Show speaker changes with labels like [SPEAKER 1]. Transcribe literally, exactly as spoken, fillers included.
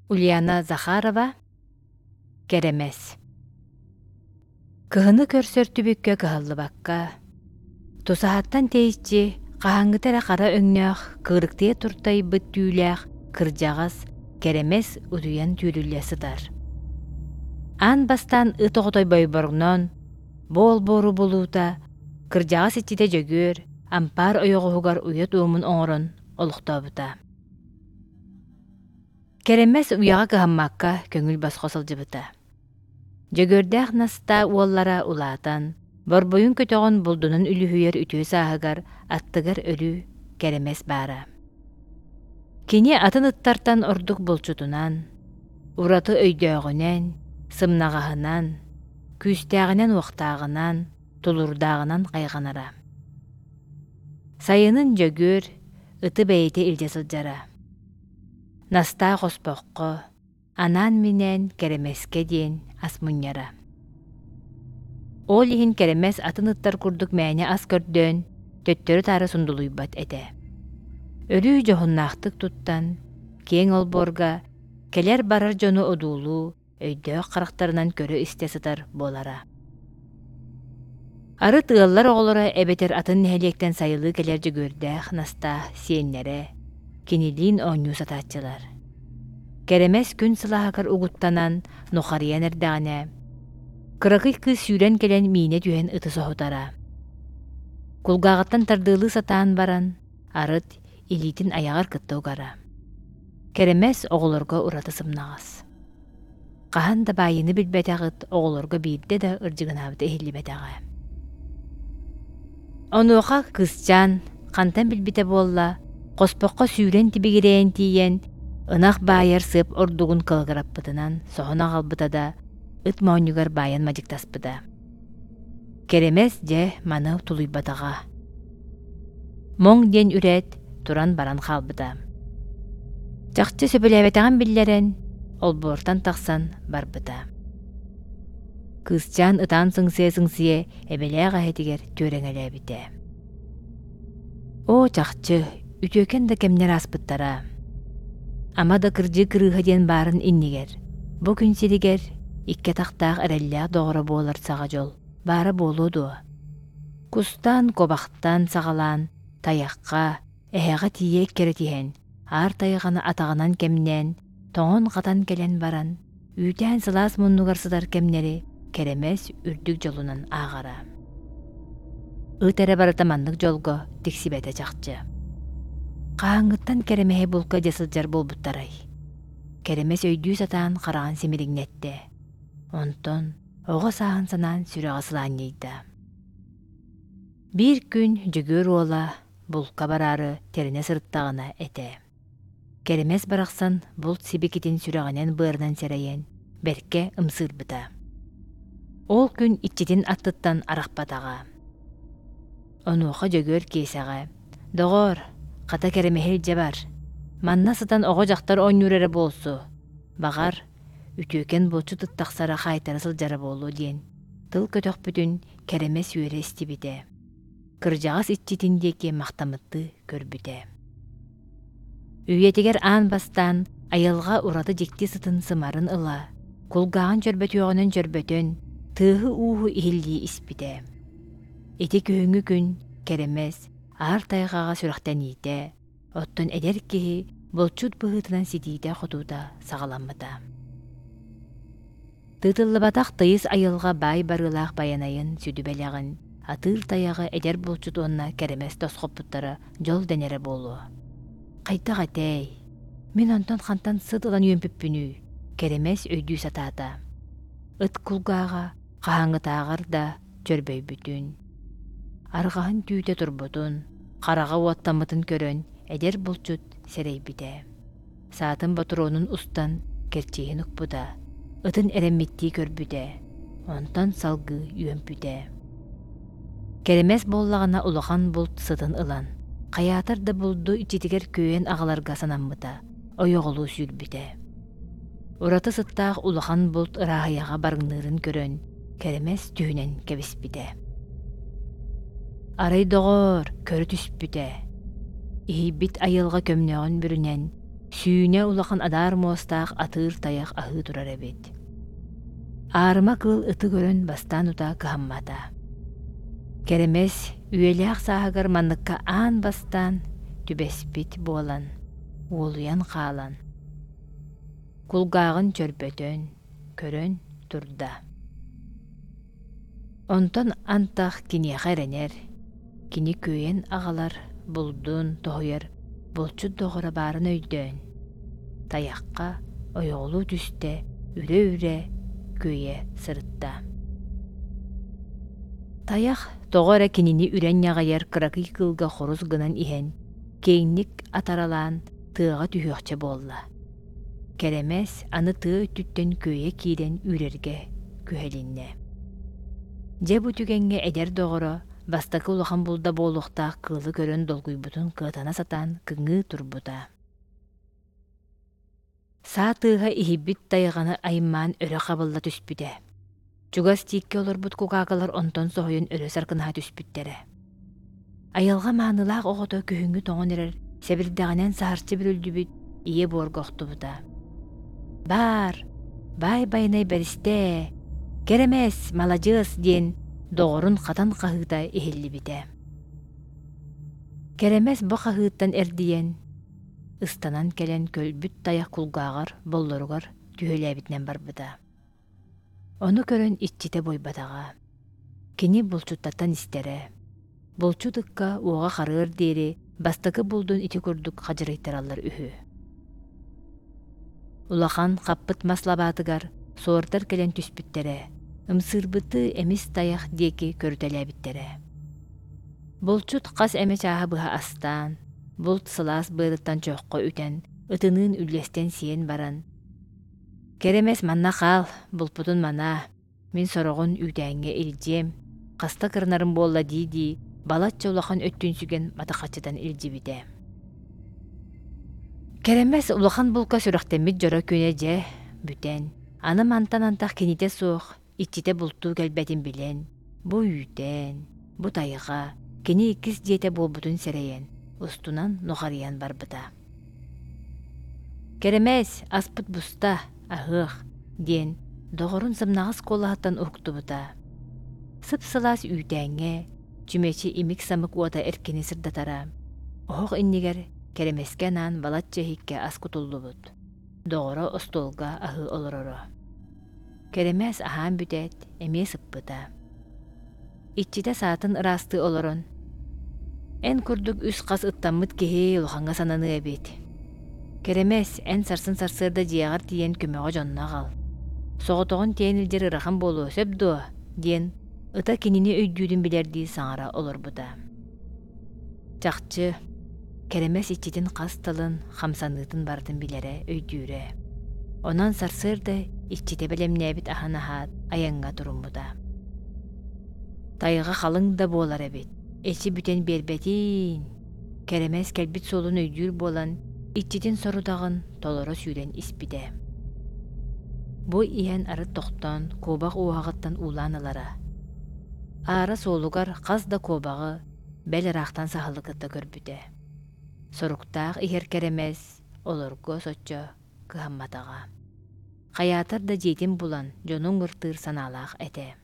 [SPEAKER 1] Ульяна Захарова, Кэрэмэс. Кыһыны көрсөр түбүккэ кыһаллыбакка, тусаһаттан тэйиччи хаһааҥҥыта эрэ хара өҥнөөх, кыырыктыйа туртайбыт түүлээх кырдьаҕас Кэрэмэс утуйан түүрүллэ сытар. Аан бастаан ыт оҕото бойборгоноон, бу олбуору булуута, кырдьаҕас иччитэ Дьөгүөр ампаар ойоҕоһугар уйа туомун оҥорон олохтообута. Кэрэмэс уйаҕа кыһаммакка көҥүл босхо сылдьыбыта. Дьөгүөрдээх Настаа уоллара улаатан, борбуйун көтөҕөн булдунан үлүһүйэр үтүө сааһыгар аттыгар өрүү Кэрэмэс баара. Кини атын ыттартан ордук булчутунан, ураты өйдөөҕүнэн, сымнаҕаһынан, күүстээҕинэн-уохтааҕынан, тулуурдааҕынан хайҕанара. Сайынын Дьөгүөр ыты бэйэтэ илдьэ сылдьара. Настаа хоспоххо, анаан-минээн Кэрэмэскэ диэн ас мунньара. Ол иһин Кэрэмэс атын ыттар курдук мээнэ ас көрдөөн, төттөрү-таары сундулуйбат этэ. Өрүү дьоһуннаахтык туттан, киэҥ олбуорга кэлэр-барар дьону одуулуу, өйдөөх харахтарынан көрө-истэ сытар буолара. Арыт ыаллар оҕолоро эбэтэр атын нэһилиэктэн сайылыы кэлэр Дьөгүөрдээх Настаа сиэннэрэ, кинилиин оонньуу сатааччылар. Кэрэмэс күн сылааһыгар угуттанан, нухарыйан эрдэҕинэ, кыракый кыыс сүүрэн кэлэн миинэ түһэн ыты соһутара. Кулгааҕыттан тардыалыы сатаан баран, арыт илиитин айаҕар кытта угара. Кэрэмэс оҕолорго ураты сымнаҕас. Хаһан да баайыыны билбэтэх ыт оҕолорго биирдэ да ырдьыгынаабыта иһиллибэтэҕэ. Онуоха кыысчаан хантан билбитэ буолла, хоспоххо сүүрэн тибигирэйэн тиийэн, ынах баайар сыап ордугун кылыгыраппытынан соһон аҕалбыта да, ыт моонньугар баайан мадьыктаспыта. Кэрэмэс дьэ маны тулуйбатаҕа. Моҥ диэн үрээт, туран баран хаалбыта. Чахчы сөбүлээбэтэҕин биллэрэн, олбуортан тахсан барбыта. Кыысчаан ытаан сыҥсыйа-сыҥсыйа эбэлээх эһэтигэр түөрэҥэлээбитэ. Оо, чахчы, үтүөкэн да кэмнэр ааспыттара. Ама да кырдьыы кырыыһа диэн баарын иннигэр, бу күн сиригэр икки атахтаах эрэллээх доҕоро буолар саҕа дьол баара буолуо дуо? Кустаан, куобахтаан саҕалаан, тайахха, эһэҕэ тиийэ эккирэтиһэн, аар тайҕаны атаҕынан кэмнээн, тоҥон-хатан кэлэн баран, үүтээн сылаас муннугар сытар кэмнэри Кэрэмэс үрдүк дьолунан ааҕара. Ыт эрэ барыта маннык дьолго тиксибэтэ чахчы. Хаһааҥҥыттан Кэрэмэһи булка дьэ сылдьар буолбуттарай? Кэрэмэс өйдүү сатаан хараҕын симириҥнэттэ. Онтон оҕо сааһын санаан сүрэҕэ сылаанньыйда. Биир күн Дьөгүөр уола булка бараары тэринэ сырыттаҕына этэ. Кэрэмэс барахсан булт сибикитин сүрэҕинэн-быарынан сэрэйэн, бэркэ ымсыырбыта. Ол күн иччитин аттыттан арахпатаҕа. Онуоха Дьөгүөр Киэсэҕэ: «Доҕоор, хата Кэрэмэһи илдьэ бар. Манна сытан оҕо-дьахтар оонньуур эрэ буолсу. Баҕар, үтүөкэн булчут ыт тахсара хаайтара сылдьара буолуо» диэн тыл көтөхпүтүн Кэрэмэс үөрэ истибитэ. Кырдьаҕас иччитин диэки махтаммыттыы көрбүтэ. Үйэтигэр аан бастаан айылҕа ураты дьикти сытын сымарын ыла, кулгааҕын чөрбөтүөҕүнэн чөрбөтөн, тыаһы-ууһу иһиллии испитэ. Ити күһүҥҥү күн Кэрэмэс аар тайҕаҕа сүрэхтэниитэ, оттон эдэр киһи булчут быһыытынан ситиитэ-хотуута саҕаламмыта. Тыытыллыбатах тыйыс айылҕа баай барыылаах байанайын сүдү бэлэҕин, атыыр тайаҕы эдэр булчут уонна Кэрэмэс тосхоппуттара дьол дэнэрэ буолуо. Хайдах этэй? Мин онтон хантан сыт ылан үөмпүппүнүй? Кэрэмэс өйдүү сатаата. Ыт кулгааҕа хаһааҥҥытааҕар да чөрбөйбүтүн, арҕаһын түүтэ турбутун, хараҕа уоттаммытын көрөн эдэр булчут сэрэйбитэ. Саатын ботуруонун устан кэрчииһин укпута, ытын эрэммиттии көрбүтэ, онтон салгыы үөмпүтэ. Кэрэмэс буоллаҕына улахан булт сытын ылан, хайаатар да булду иччитигэр күөйэн аҕаларга санаммыта, ойоҕолуу сүүрбүтэ. Ураты сыттаах улахан булт ырааһыйаҕа барыҥныырын көрөн, Кэрэмэс түһүнэн кэбиспитэ. Арай доҕоор, көрө түспүтэ. Иһийбит айылҕа көмнөҕүн бүрүнэн, Сүүнэ улахан адаар муостаах атыыр тайах аһыы турар эбит. Аарыма кыыл ыты көрөн бастаан утаа кыһаммата. Кэрэмэс үйэлээх сааһыгар манныкка аан бастаан түбэспит буолан, уолуйан хаалан, кулгааҕын чөрбөтөн, көрөн турда. Онтон антах киниэхэ эрэнэр, кини күөйэн аҕалар, булдун тоһуйар булчут доҕоро баарын өйдөөн, тайахха ойоҕолуу түстэ, үрэ-үрэ күөйэ сырытта. Тайах тоҕо эрэ кинини үрэн ньаҕыйар кыракый кыылга хорус гынан иһэн, киэҥник атаралаан тыаҕа түһүөхчэ буолла. Кэрэмэс аны тыа өттүттэн күөйэ киирэн үүрэргэ күһэлиннэ. Дьэ бу түгэҥҥэ эдэр доҕоро бастакы улахан булда буолуохтаах кыылы көрөн долгуйбутун кыатана сатаан кыҥыы турбута. Саа тыаһа иһийбит тайҕаны аймаан өрө хабылла түспүтэ. Чугас тииккэ олорбут кукаакалар онтон соһуйан өрө саркынаһа түспүттэрэ. Айылҕа маанылаах оҕото күһүҥҥү тоҥон эрэр сэбирдэҕинэн саһарчы бүрүллүбүт ийэ буорга охтубута. Баар, баай байанай бэристээ, кэрэмэс, маладьыас диэн доҕорун хатан хаһыыта иһиллибитэ. Кэрэмэс бу хаһыыттан эрдийэн, ыстанан кэлэн көлбүт тайах кулгааҕар боллоругар түһүлээбитинэн барбыта. Ону көрөн иччитэ буойбатаҕа. Кини булчуттартан истэрэ. Булчут ыкка уоҕа харыар диэри бастакы булдун ити курдук хадьырыйтараллар үһү. Улахан хаппыт мас лабаатыгар суордар кэлэн түспүттэрэ, ымсыырбыты эмис тайах диэки көрүтэлээбиттэрэ. Булчут хас эмэ чааһы быһа астаан, булт сылаас быарыттан чоххо үтэн, ытыныын үллэстэн сиэн баран, «Кэрэмэс манна хаал, булпутун манаа, мин сороҕун үүтээҥҥэ илдьиэм, хаста кырынарым буолла дии-дии, балачча улахан өттүн сүгэн матахаччытан илдьибитэ». Кэрэмэс улахан булка сүрэхтэммит дьоро күнэ дьэ бүтэн, аны мантан антах кинитэ суох, иччитэ бултуу кэлбэтин билэн, бу үүтээн, бу тайҕа, кини иккис дьиэтэ буолбутун сэрэйэн, устунан нухарыйан барбыта. «Кэрэмэс, аспыт буста, аһыах» диэн доҕорун сымнаҕас куолаһыттан уһуктубута. Сып-сылаас үүтээҥҥэ чүмэчи имик-самык уота эркини сырдатара. Оһох иннигэр кэрэмэскэ анаан балачча иһиккэ ас кутуллубут. Доҕоро остуолга аһыы олороро. Кэрэмэс аһаан бүтээт, эмиэ сыппыта. Иччитэ саатын ыраастыы олорон, «Эн курдук үс хас ыттаммыт киһи улахаҥҥа сананыа эбит. Кэрэмэс, эн сарсын сарсыарда дьиэҕэр тиийэн көмөҕө дьонно аҕал. Соҕотоҕун тиэйэн илдьэр ыарахан буолуо, сөп дуо?» диэн ыта кинини өйдүүрүн билэрдии саҥара олорбута. Чахчы, Кэрэмэс иччитин хас тылын, хамсаныытын барытын билэрэ, өйдүүрэ. Онон сарсыарда иччитэ бэлэмнээбит аһын аһаат, айаҥҥа туруммута. Тайҕа халыҥ да буолар эбит, эчи бүтэн биэрбэтиин. Кэрэмэс кэлбит суолун өйдүүр буолан, иччитин сорудаҕын толоро сүүрэн испитэ. Бу иһэн арыт тохтоон, куобах уоһаҕыттан уулаан ылара. Аара суолугар хас да куобаҕы бэл ыраахтан саһылы кытта көрбүтэ. Соруктаах иһэр кэрэмэс олорго соччо кыһамматаҕа. Хайаатар да дьиэтин булан, дьонун ыртыыр санаалаах этэ.